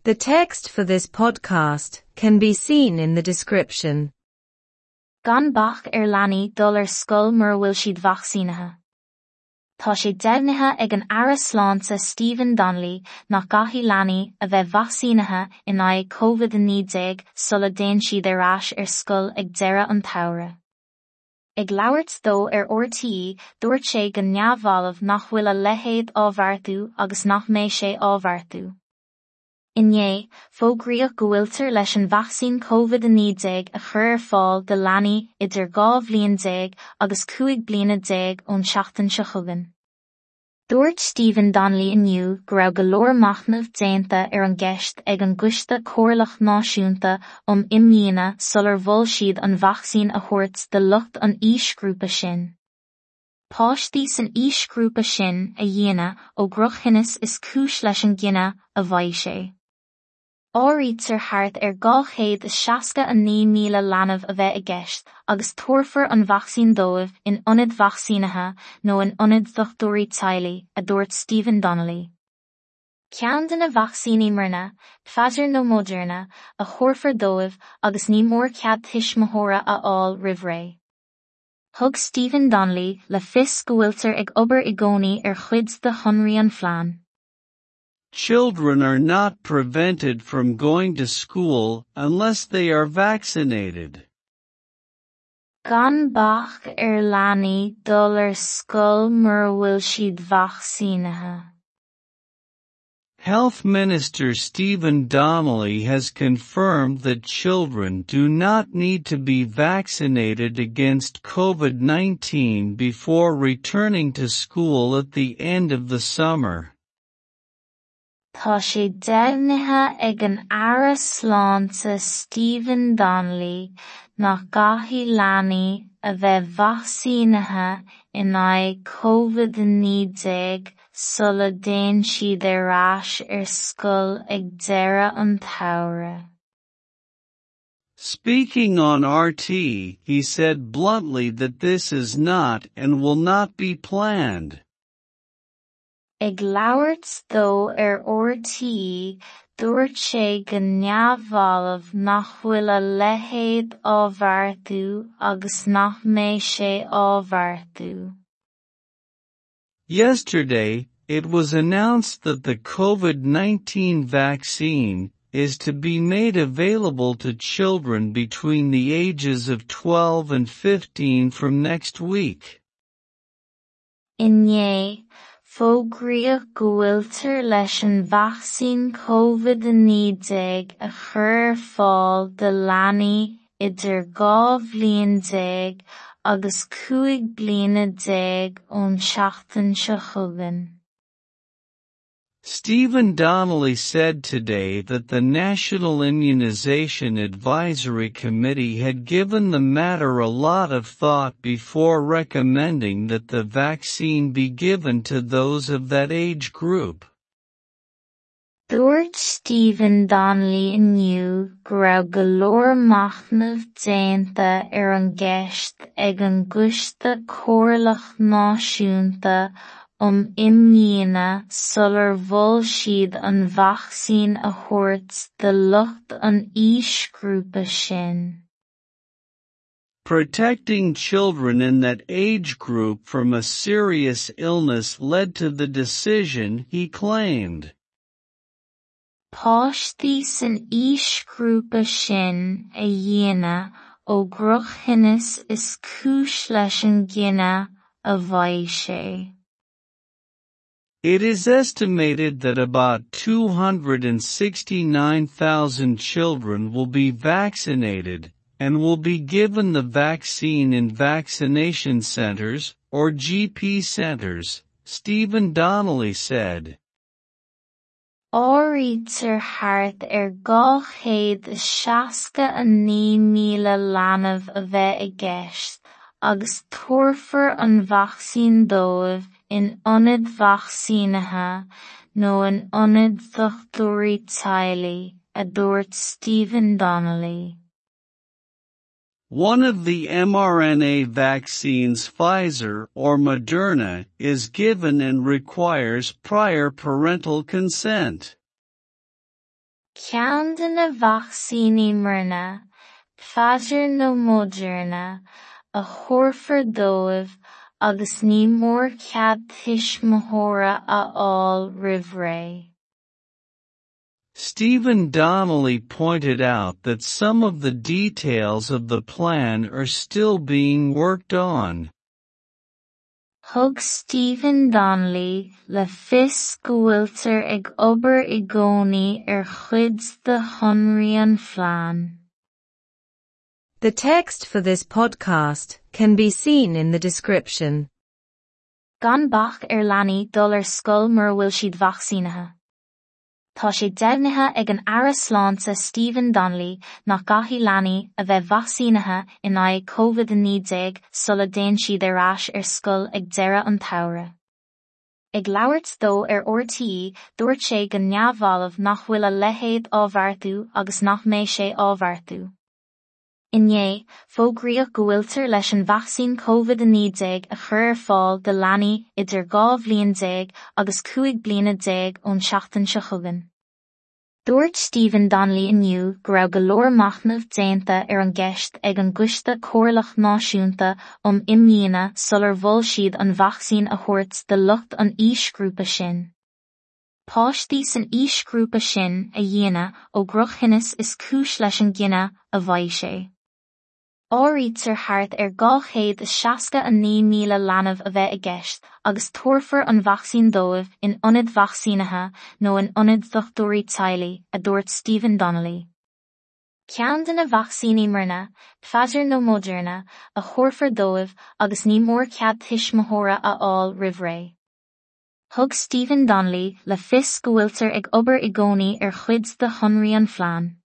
The text for this podcast can be seen in the description. Gan bac ar leanaí dul ar scoil mura bhfuil siad vacsaínithe. Tá sé deimhnithe ag an Aire Sláinte Stephen Donnelly nach gcaithfidh leanaí a bheith vacsaínithe in aghaidh Covid-19 sula dtéann siad ar ais ar scoil ag deireadh an tsamhraidh. Ag labhairt dó ar RTÉ, dúirt sé go neamhbhalbh nach bhfuil a leithéid á bheartú agus nach mbeidh sé á bheartú. Inné, fógraíodh go bhfuiltear leis an vacsaín Covid-19 a chur ar fáil do leanaí idir 12 bhliain agus 15 bliana ón tseachtain seo chugainn. Dúirt Stephen Donnelly inniu go raibh go leor machnaimh déanta ar an gceist ag an gCoiste Comhairleach Náisiúnta um Imdhíonadh sular mhol siad an vacsaín a thabhairt do lucht an aoisghrúpa sin. Páistí san aoisghrúpa sin a dhíonadh ó dhrochthinneas is cúis leis an gcinneadh, a mhaígh sé. Áirítear thart ar 269,000 leanbh a bheith i gceist agus tabharfar an vacsaín dóibh in ionaid vacsaínithe nó in ionaid dochtúirí teaghlaigh, a dúirt Stephen Donnelly. Ceann de na vacsaíní mRNA, Pfizer nó Moderna, a thabharfar dóibh agus ní mór cead tuismitheora a fháil roimh ré. Thug Stephen Donnelly le fios go bhfuiltear ag obair i gcónaí ar chuid de shonraí an phlean. Children are not prevented from going to school unless they are vaccinated. Gan bac ar leanaí dul ar scoil mura bhfuil siad vacsaínithe. Health Minister Stephen Donnelly has confirmed that children do not need to be vaccinated against COVID-19 before returning to school at the end of the summer. Tá sé deimhnithe ag an Aire Sláinte Stephen Donnelly nach gcaithfidh leanaí a bheith vacsaínithe in aghaidh Covid-19 sula dtéann siad ar ais ar scoil ag deireadh an tsamhraidh. Speaking on RTÉ, he said bluntly that this is not and will not be planned. Ag labhairt dó ar RTÉ, dúirt sé go neamhbhalbh nach bhfuil a leithéid á bheartú agus nach mbeidh sé á bheartú. Yesterday, it was announced that the COVID-19 vaccine is to be made available to children between the ages of 12 and 15 from next week. Inné, fógraíodh go bhfuiltear leis an vacsaín Covid-19 a chur ar fáil do leanaí idir 12 bhliain agus 15 bliana ón tseachtain seo chugainn. Stephen Donnelly said today that the National Immunization Advisory Committee had given the matter a lot of thought before recommending that the vaccine be given to those of that age group. Dúirt Stephen Donnelly inniu go raibh go leor machnaimh déanta ar an gceist ag an gCoiste Comhairleach Náisiúnta um Imdhíonadh sular mhol siad an vacsaín a thabhairt do lucht an aoisghrúpa sin. Protecting children in that age group from a serious illness led to the decision, he claimed. Páistí san aoisghrúpa sin a dhíonadh ó dhrochthinneas is cúis leis an gcinneadh, a mhaígh sé. It is estimated that about 269,000 children will be vaccinated, and will be given the vaccine in vaccination centers, or GP centers, Stephen Donnelly said. Áirítear thart ar 269,000 leanbh a bheith i gceist, agus tabharfar an vacsaín dóibh in ionaid vacsaínithe nó in ionaid dochtúirí teaghlaigh, a dúirt Stephen Donnelly. One of the mRNA vaccines Pfizer or Moderna is given and requires prior parental consent. Ceann de na vacsaíní mRNA, Pfizer nó Moderna, a thabharfar dóibh agus ní mór cead tuismitheora a fháil roimh ré. Stephen Donnelly pointed out that some of the details of the plan are still being worked on. Thug Stephen Donnelly le fios go bhfuiltear ag obair i gcónaí ar chuid de shonraí an phlean. The text for this podcast can be seen in the description. Gan bac ar leanaí dul ar scoil mura bhfuil siad vacsaínithe. Tá sé deimhnithe ag an Aire Sláinte Stephen Donnelly nach gcaithfidh leanaí a bheith vacsaínithe in aghaidh COVID-19 sula dtéann siad ar ais ar scoil ag deireadh an tsamhraidh. Ag labhairt dó ar RTÉ, dúirt sé go neamhbhalbh nach bhfuil a leithéid á bheartú agus nach mbeidh sé á bheartú. Inné, fógraíodh go bhfuiltear leis an vacsaín COVID-19 a chur ar fáil do leanaí idir 12 bhliain agus 15 bliana ón tseachtain seo chugainn. Dúirt Stephen Donnelly inniu go raibh go leor machnaimh déanta ar an gceist ag an gCoiste Comhairleach Náisiúnta um Imdhíonadh sular mhol siad an vacsaín a thabhairt do lucht an aoisghrúpa sin. Páistí san aoisghrúpa sin a dhíonadh ó dhrochthinneas is cúis leis an gcinneadh, a mhaígh sé. Áirítear thart ar 269,000 leanbh a bheith i gceist agus tabharfar an vacsaín dóibh in ionaid vacsaínithe nó in ionaid dochtúirí teaghlaigh, a dúirt Stephen Donnelly. Ceann de na vacsaíní mRNA, Pfizer nó Moderna, a thabharfar dóibh agus ní mór cead tuismitheora a fháil roimh ré. Thug Stephen Donnelly le fios go bhfuiltear ag obair i gcónaí ar chuid de shonraí an phlean.